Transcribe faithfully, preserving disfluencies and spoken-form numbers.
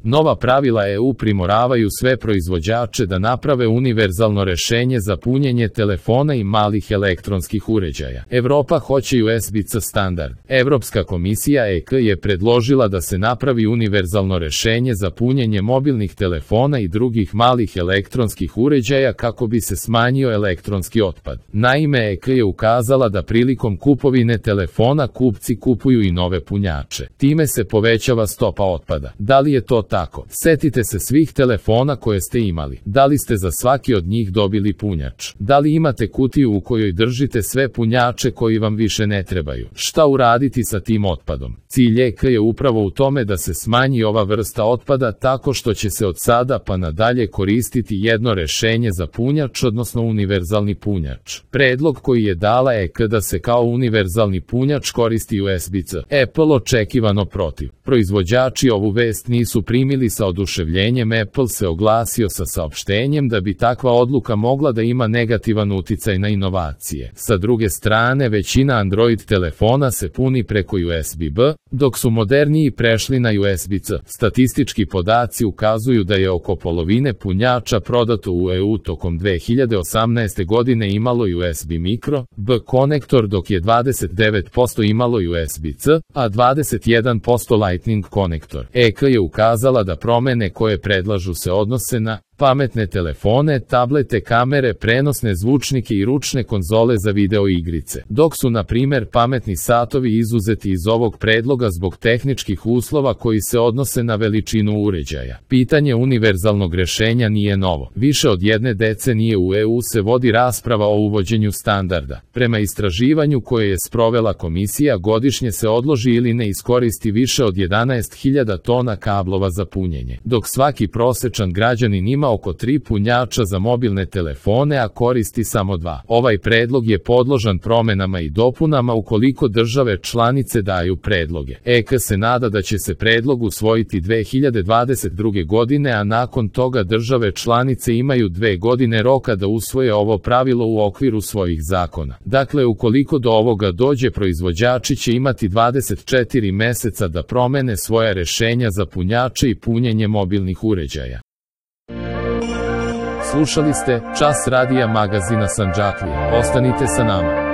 Nova pravila E U primoravaju sve proizvođače da naprave univerzalno rešenje za punjenje telefona i malih elektronskih uređaja. Evropa hoće U S B C standard. Evropska komisija E K je predložila da se napravi univerzalno rešenje za punjenje mobilnih telefona i drugih malih elektronskih uređaja kako bi se smanjio elektronski otpad. Naime, E K je ukazala da prilikom kupovine telefona kupci kupuju i nove punjače. Time se povećava stopa otpada. Da li je to tako? Setite se svih telefona koje ste imali. Da li ste za svaki od njih dobili punjač? Da li imate kutiju u kojoj držite sve punjače koji vam više ne trebaju? Šta uraditi sa tim otpadom? Cilj E K je upravo u tome da se smanji ova vrsta otpada tako što će se od sada pa nadalje koristiti jedno rešenje za punjač, odnosno univerzalni punjač. Predlog koji je dala E K da se kao univerzalni punjač koristi U S B C. Apple očekivano protiv. Proizvođači ovu vest nisu primili sa oduševljenjem. Apple se oglasio sa saopštenjem da bi takva odluka mogla da ima negativan uticaj na inovacije. Sa druge strane, većina Android telefona se puni preko U S B B, dok su moderniji prešli na U S B C. Statistički podaci ukazuju da je oko polovine punjača prodato u E U tokom dve hiljade osamnaeste godine imalo U S B Micro B konektor, dok je dvadeset devet posto imalo U S B C, a dvadeset jedan posto Lightning konektor. E K je ukazala da promene koje predlažu se odnose na pametne telefone, tablete, kamere, prenosne zvučnike i ručne konzole za video igrice, dok su na primer pametni satovi izuzeti iz ovog predloga zbog tehničkih uslova koji se odnose na veličinu uređaja. Pitanje univerzalnog rešenja nije novo. Više od jedne decenije u E U se vodi rasprava o uvođenju standarda. Prema istraživanju koje je sprovela komisija, godišnje se odloži ili ne iskoristi više od jedanaest hiljada tona kablova za punjenje, dok svaki prosečan građanin ima oko tri punjača za mobilne telefone, a koristi samo dva. Ovaj predlog je podložan promenama i dopunama ukoliko države članice daju predloge. E K se nada da će se predlog usvojiti dve hiljade dvadeset druge. godine, a nakon toga države članice imaju dve godine roka da usvoje ovo pravilo u okviru svojih zakona. Dakle, ukoliko do ovoga dođe, proizvođači će imati dvadeset četiri meseca da promene svoja rešenja za punjače i punjenje mobilnih uređaja. Slušali ste Čas radija magazina Sandžaklija. Ostanite sa nama.